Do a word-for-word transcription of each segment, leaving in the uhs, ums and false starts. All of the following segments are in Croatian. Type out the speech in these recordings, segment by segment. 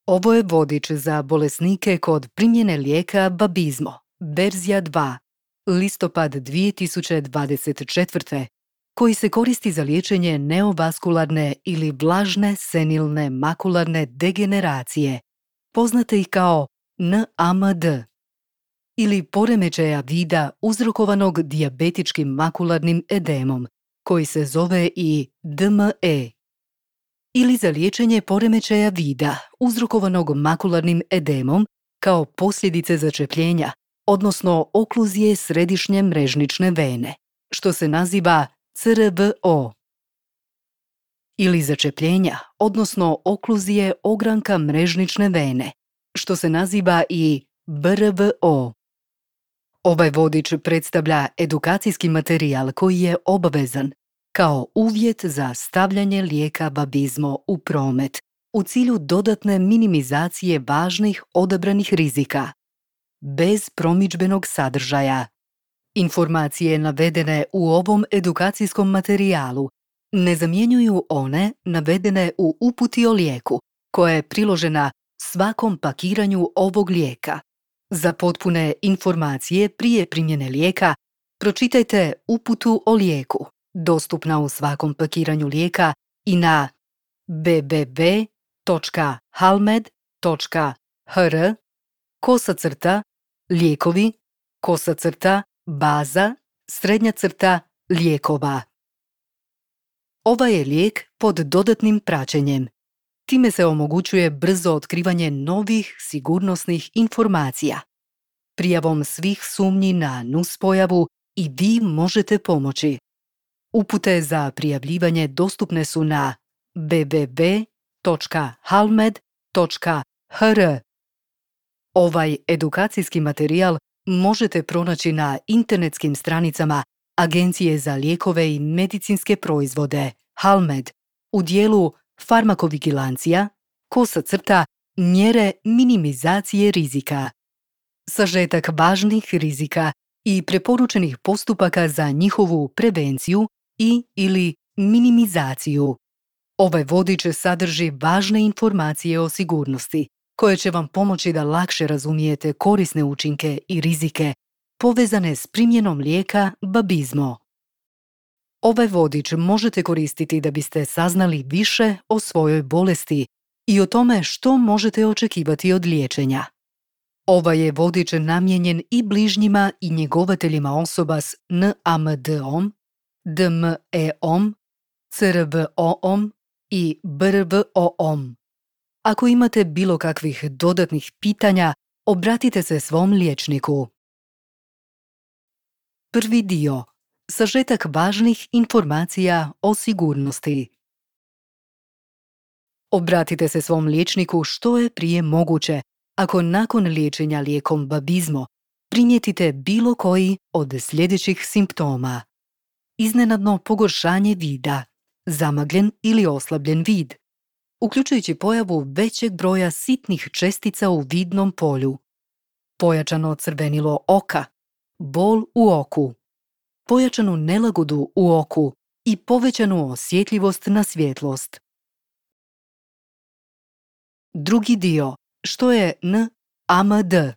Ovo je vodič za bolesnike kod primjene lijeka Babizmo, verzija dva, listopad dvije tisuće dvadeset četvrte. koji se koristi za liječenje neovaskularne ili vlažne senilne makularne degeneracije, poznate ih kao N A M D, ili poremećaja vida uzrokovanog dijabetičkim makularnim edemom, koji se zove i D M E, ili za liječenje poremećaja vida uzrokovanog makularnim edemom kao posljedice začepljenja, odnosno okluzije središnje mrežnične vene, što se naziva C R V O, ili začepljenja, odnosno okluzije ogranka mrežnične vene, što se naziva i B R V O. Ovaj vodič predstavlja edukacijski materijal koji je obavezan kao uvjet za stavljanje lijeka Babizmo u promet u cilju dodatne minimizacije važnih odabranih rizika, bez promidžbenog sadržaja. Informacije navedene u ovom edukacijskom materijalu ne zamjenjuju one navedene u uputi o lijeku, koja je priložena svakom pakiranju ovog lijeka. Za potpune informacije prije primjene lijeka, pročitajte uputu o lijeku, dostupna u svakom pakiranju lijeka i na w w w točka halmed točka h r kosa crta lijekovi kosa crta baza srednja crta lijekova. Ovaj je lijek pod dodatnim praćenjem. Time se omogućuje brzo otkrivanje novih sigurnosnih informacija. Prijavom svih sumnji na nuspojavu i vi možete pomoći. Upute za prijavljivanje dostupne su na w w w točka halmed točka h r. Ovaj edukacijski materijal možete pronaći na internetskim stranicama Agencije za lijekove i medicinske proizvode Halmed u dijelu farmakovigilancija, kosa crta, mjere minimizacije rizika. Sažetak važnih rizika i preporučenih postupaka za njihovu prevenciju i ili minimizaciju. Ovaj vodič sadrži važne informacije o sigurnosti, koje će vam pomoći da lakše razumijete korisne učinke i rizike povezane s primjenom lijeka Babizmo. Ovaj vodič možete koristiti da biste saznali više o svojoj bolesti i o tome što možete očekivati od liječenja. Ovaj je vodič namijenjen i bližnjima i njegovateljima osoba s N A M D-om, D M E-om, C R V O-om i B R V O-om. Ako imate bilo kakvih dodatnih pitanja, obratite se svom liječniku. Prvi dio. Sažetak važnih informacija o sigurnosti. Obratite se svom liječniku što je prije moguće ako nakon liječenja lijekom Babizmo primijetite bilo koji od sljedećih simptoma. Iznenadno pogoršanje vida, zamagljen ili oslabljen vid, uključujući pojavu većeg broja sitnih čestica u vidnom polju, pojačano crvenilo oka, bol u oku, pojačanu nelagodu u oku i povećanu osjetljivost na svjetlost. Drugi dio, što je N A M D.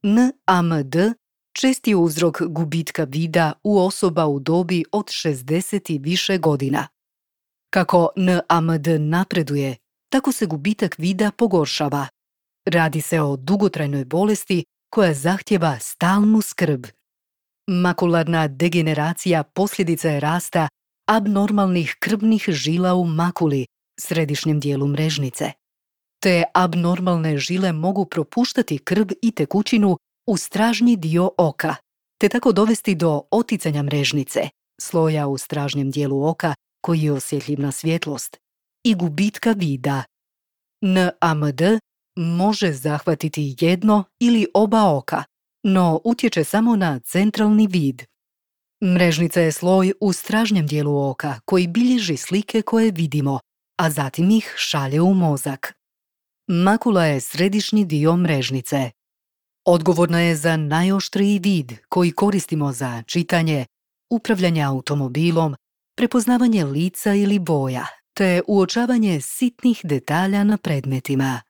N A M D čest je uzrok gubitka vida u osoba u dobi od šezdeset i više godina. Kako N A M D napreduje, tako se gubitak vida pogoršava. Radi se o dugotrajnoj bolesti koja zahtjeva stalnu skrb. Makularna degeneracija posljedica je rasta abnormalnih krvnih žila u makuli, središnjem dijelu mrežnice. Te abnormalne žile mogu propuštati krv i tekućinu u stražnji dio oka, te tako dovesti do oticanja mrežnice, sloja u stražnjem dijelu oka koji je osjetljiv na svjetlost, i gubitka vida. N A M D može zahvatiti jedno ili oba oka, no utječe samo na centralni vid. Mrežnica je sloj u stražnjem dijelu oka koji bilježi slike koje vidimo, a zatim ih šalje u mozak. Makula je središnji dio mrežnice. Odgovorna je za najoštriji vid koji koristimo za čitanje, upravljanje automobilom, prepoznavanje lica ili boja, te uočavanje sitnih detalja na predmetima.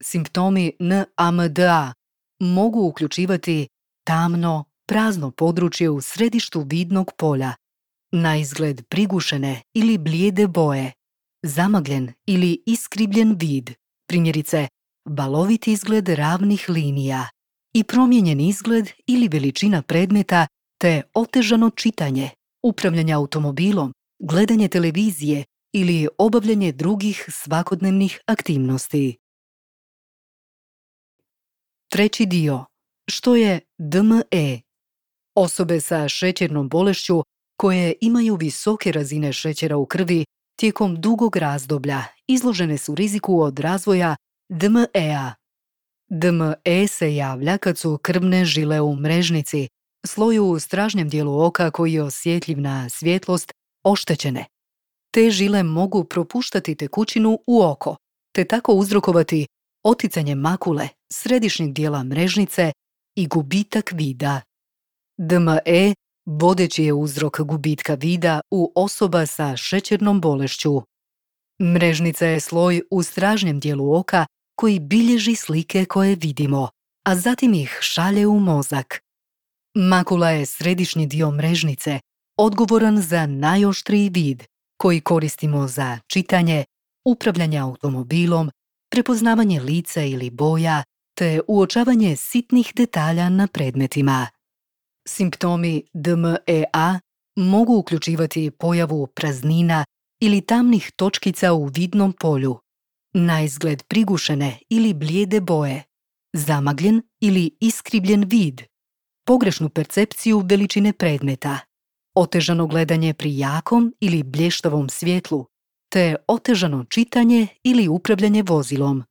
Simptomi N A M D A mogu uključivati tamno, prazno područje u središtu vidnog polja, na izgled prigušene ili blijede boje, zamagljen ili iskribljen vid, primjerice balovit izgled ravnih linija i promijenjen izgled ili veličina predmeta te otežano čitanje, upravljanje automobilom, gledanje televizije ili obavljanje drugih svakodnevnih aktivnosti. Treći dio. Što je D M E? Osobe sa šećernom bolešću koje imaju visoke razine šećera u krvi tijekom dugog razdoblja izložene su riziku od razvoja D M E-a. D M E se javlja kad su krvne žile u mrežnici, sloju u stražnjem dijelu oka koji je osjetljiv na svjetlost, oštećene. Te žile mogu propuštati tekućinu u oko, te tako uzrokovati oticanje makule, središnjeg dijela mrežnice i gubitak vida. D M E vodeći je uzrok gubitka vida u osoba sa šećernom bolešću. Mrežnica je sloj u stražnjem dijelu oka koji bilježi slike koje vidimo, a zatim ih šalje u mozak. Makula je središnji dio mrežnice, odgovoran za najoštriji vid, koji koristimo za čitanje, upravljanje automobilom, prepoznavanje lica ili boja, te uočavanje sitnih detalja na predmetima. Simptomi D M E A mogu uključivati pojavu praznina ili tamnih točkica u vidnom polju, na izgled prigušene ili blijede boje, zamagljen ili iskribljen vid, pogrešnu percepciju veličine predmeta, otežano gledanje pri jakom ili blještavom svjetlu, te otežano čitanje ili upravljanje vozilom.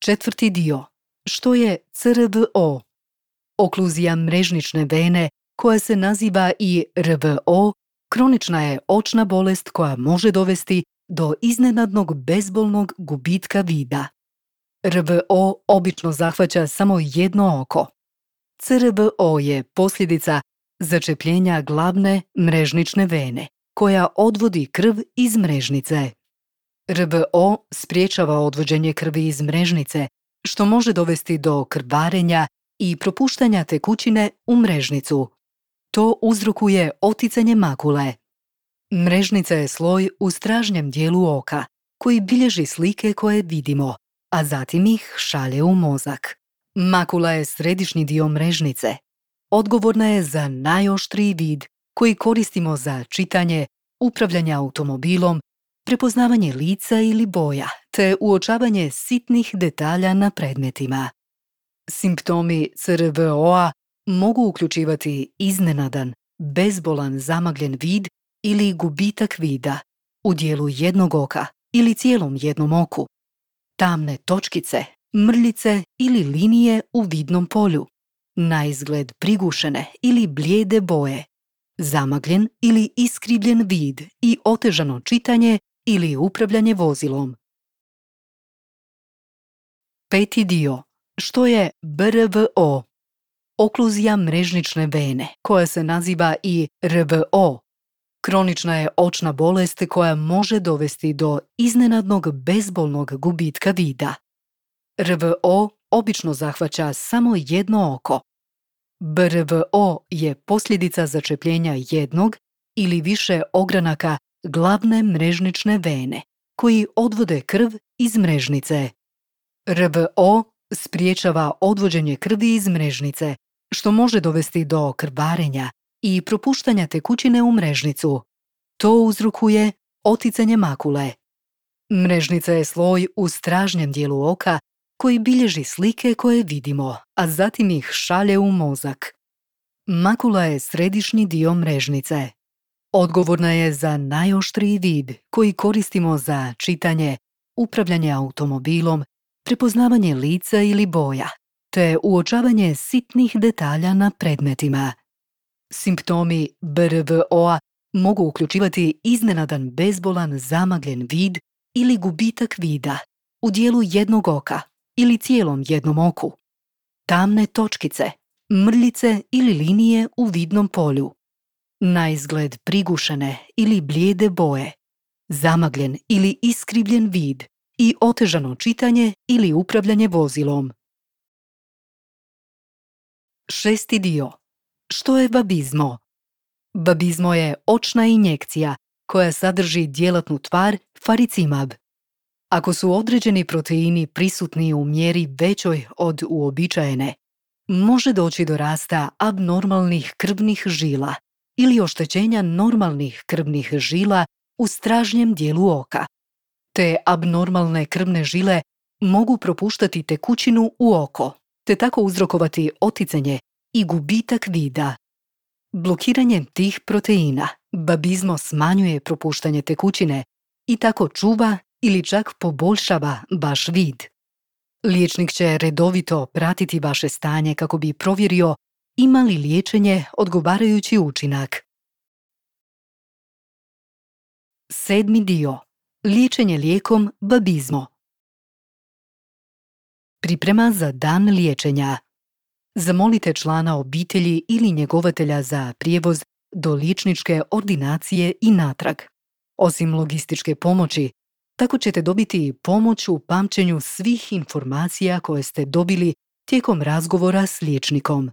Četvrti dio. Što je C R V O? Okluzija mrežnične vene, koja se naziva i R V O, kronična je očna bolest koja može dovesti do iznenadnog bezbolnog gubitka vida. R V O obično zahvaća samo jedno oko. C R V O je posljedica začepljenja glavne mrežnične vene, koja odvodi krv iz mrežnice. R V O spriječava odvođenje krvi iz mrežnice, što može dovesti do krvarenja i propuštanja tekućine u mrežnicu. To uzrokuje oticanje makule. Mrežnica je sloj u stražnjem dijelu oka, koji bilježi slike koje vidimo, a zatim ih šalje u mozak. Makula je središnji dio mrežnice. Odgovorna je za najoštriji vid koji koristimo za čitanje, upravljanje automobilom, prepoznavanje lica ili boja, te uočavanje sitnih detalja na predmetima. Simptomi C R V O-a mogu uključivati iznenadan, bezbolan zamagljen vid ili gubitak vida u dijelu jednog oka ili cijelom jednom oku, tamne točkice, mrljice ili linije u vidnom polju, na izgled prigušene ili blijede boje, zamagljen ili iskribljen vid i otežano čitanje ili upravljanje vozilom. Peti dio. Što je B R V O? Okluzija mrežnične vene, koja se naziva i R V O. Kronična je očna bolest koja može dovesti do iznenadnog bezbolnog gubitka vida. R V O obično zahvaća samo jedno oko. B R V O je posljedica začepljenja jednog ili više ogranaka glavne mrežnične vene, koji odvode krv iz mrežnice. R V O spriječava odvođenje krvi iz mrežnice, što može dovesti do krvarenja i propuštanja tekućine u mrežnicu. To uzrokuje oticanje makule. Mrežnica je sloj u stražnjem dijelu oka koji bilježi slike koje vidimo, a zatim ih šalje u mozak. Makula je središnji dio mrežnice. Odgovorna je za najoštriji vid koji koristimo za čitanje, upravljanje automobilom, prepoznavanje lica ili boja, te uočavanje sitnih detalja na predmetima. Simptomi B R V O-a mogu uključivati iznenadan bezbolan zamagljen vid ili gubitak vida u dijelu jednog oka ili cijelom jednom oku, tamne točkice, mrljice ili linije u vidnom polju, na izgled prigušene ili blijede boje, zamagljen ili iskribljen vid i otežano čitanje ili upravljanje vozilom. Šesti dio. Što je babizmo? Babizmo je očna injekcija koja sadrži djelatnu tvar faricimab. Ako su određeni proteini prisutni u mjeri većoj od uobičajene, može doći do rasta abnormalnih krvnih žila ili oštećenja normalnih krvnih žila u stražnjem dijelu oka. Te abnormalne krvne žile mogu propuštati tekućinu u oko, te tako uzrokovati oticanje i gubitak vida. Blokiranjem tih proteina babizmo smanjuje propuštanje tekućine i tako čuva ili čak poboljšava vaš vid. Liječnik će redovito pratiti vaše stanje kako bi provjerio ima li liječenje odgovarajući učinak. Sedmi dio. Liječenje lijekom babizmo. Priprema za dan liječenja. Zamolite člana obitelji ili njegovatelja za prijevoz do liječničke ordinacije i natrag. Osim logističke pomoći, tako ćete dobiti pomoć u pamćenju svih informacija koje ste dobili tijekom razgovora s liječnikom.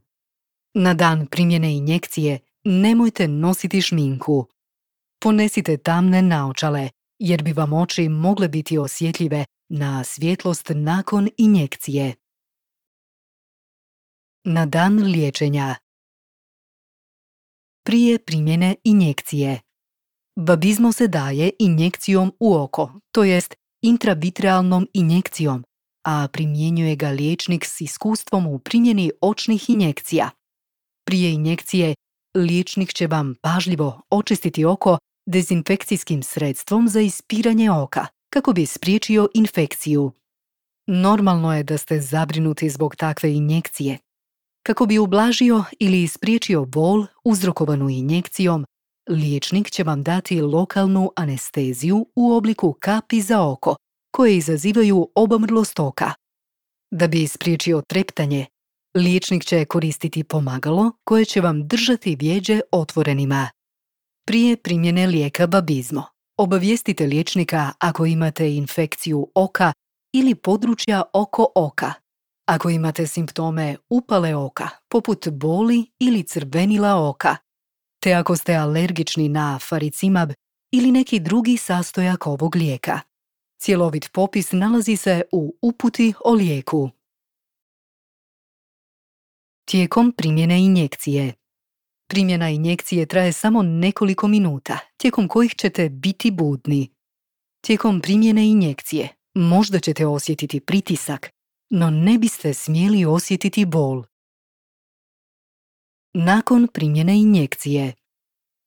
Na dan primjene injekcije nemojte nositi šminku. Ponesite tamne naočale, jer bi vam oči mogle biti osjetljive na svjetlost nakon injekcije. Na dan liječenja. Prije primjene injekcije. Babizmo se daje injekcijom u oko, to jest intravitrealnom injekcijom, a primjenjuje ga liječnik s iskustvom u primjeni očnih injekcija. Prije injekcije, liječnik će vam pažljivo očistiti oko dezinfekcijskim sredstvom za ispiranje oka, kako bi spriječio infekciju. Normalno je da ste zabrinuti zbog takve injekcije. Kako bi ublažio ili spriječio bol uzrokovanu injekcijom, liječnik će vam dati lokalnu anesteziju u obliku kapi za oko, koje izazivaju obamrlost oka. Da bi spriječio treptanje, liječnik će koristiti pomagalo koje će vam držati vjeđe otvorenima. Prije primjene lijeka babizmo, obavijestite liječnika ako imate infekciju oka ili područja oko oka. Ako imate simptome upale oka, poput boli ili crvenila oka, te ako ste alergični na faricimab ili neki drugi sastojak ovog lijeka. Cjelovit popis nalazi se u uputi o lijeku. Tijekom primjene injekcije. Primjena injekcije traje samo nekoliko minuta, tijekom kojih ćete biti budni. Tijekom primjene injekcije možda ćete osjetiti pritisak, no ne biste smjeli osjetiti bol. Nakon primjene injekcije.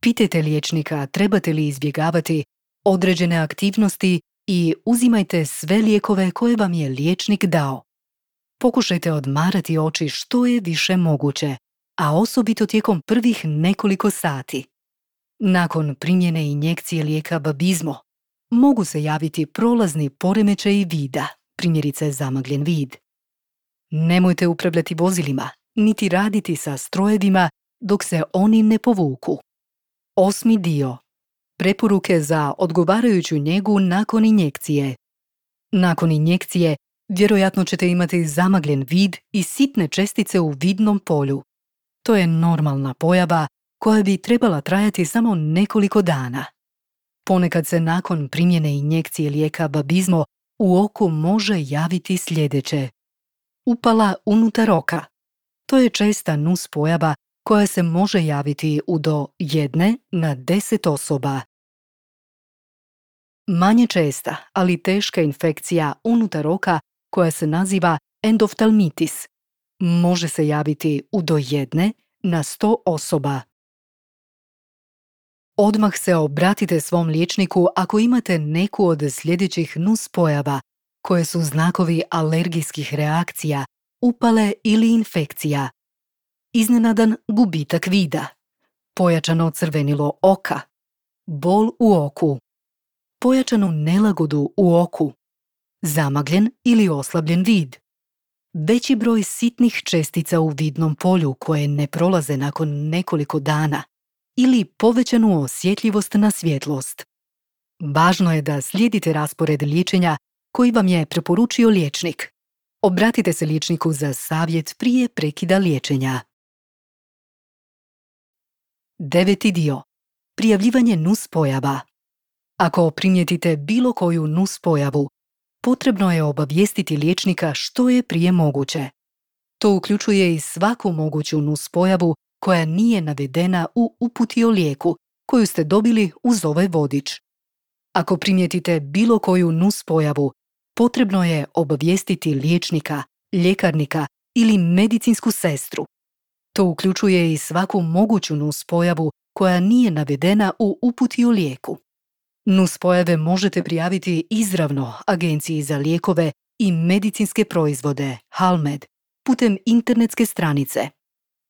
Pitajte liječnika trebate li izbjegavati određene aktivnosti i uzimajte sve lijekove koje vam je liječnik dao. Pokušajte odmarati oči što je više moguće, a osobito tijekom prvih nekoliko sati. Nakon primjene injekcije lijeka babizmo, mogu se javiti prolazni poremećaji vida, primjerice zamagljen vid. Nemojte upravljati vozilima, niti raditi sa strojevima dok se oni ne povuku. Osmi dio. Preporuke za odgovarajuću njegu nakon injekcije. Nakon injekcije vjerojatno ćete imati zamagljen vid i sitne čestice u vidnom polju. To je normalna pojava koja bi trebala trajati samo nekoliko dana. Ponekad se nakon primjene injekcije lijeka babizmo u oku može javiti sljedeće. Upala unutar oka. To je česta nuspojava koja se može javiti u do jedne na deset osoba. Manje česta, ali teška infekcija unutar oka koja se naziva endoftalmitis može se javiti u do jedne na sto osoba. Odmah se obratite svom liječniku ako imate neku od sljedećih nuspojava koje su znakovi alergijskih reakcija, upale ili infekcija. Iznenadan gubitak vida, pojačano crvenilo oka, bol u oku, pojačanu nelagodu u oku, zamagljen ili oslabljen vid, veći broj sitnih čestica u vidnom polju koje ne prolaze nakon nekoliko dana ili povećanu osjetljivost na svjetlost. Važno je da slijedite raspored liječenja koji vam je preporučio liječnik. Obratite se liječniku za savjet prije prekida liječenja. Deveti dio. Prijavljivanje nuspojava. Ako primijetite bilo koju nuspojavu, potrebno je obavijestiti liječnika što je prije moguće. To uključuje i svaku moguću nuspojavu koja nije navedena u uputi o lijeku koju ste dobili uz ovaj vodič. Ako primijetite bilo koju nuspojavu, potrebno je obavijestiti liječnika, ljekarnika ili medicinsku sestru. To uključuje i svaku moguću nuspojavu koja nije navedena u uputi o lijeku. Nuspojave možete prijaviti izravno Agenciji za lijekove i medicinske proizvode Halmed putem internetske stranice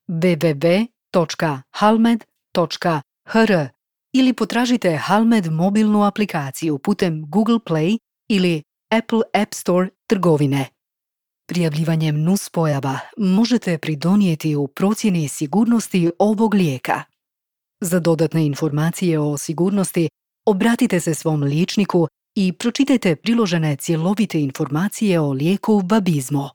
w w w točka halmed točka h r ili potražite Halmed mobilnu aplikaciju putem Google Play ili Apple App Store trgovine. Prijavljivanjem nuspojava možete pridonijeti u procjeni sigurnosti ovog lijeka. Za dodatne informacije o sigurnosti obratite se svom liječniku i pročitajte priložene cjelovite informacije o lijeku Vabizmo.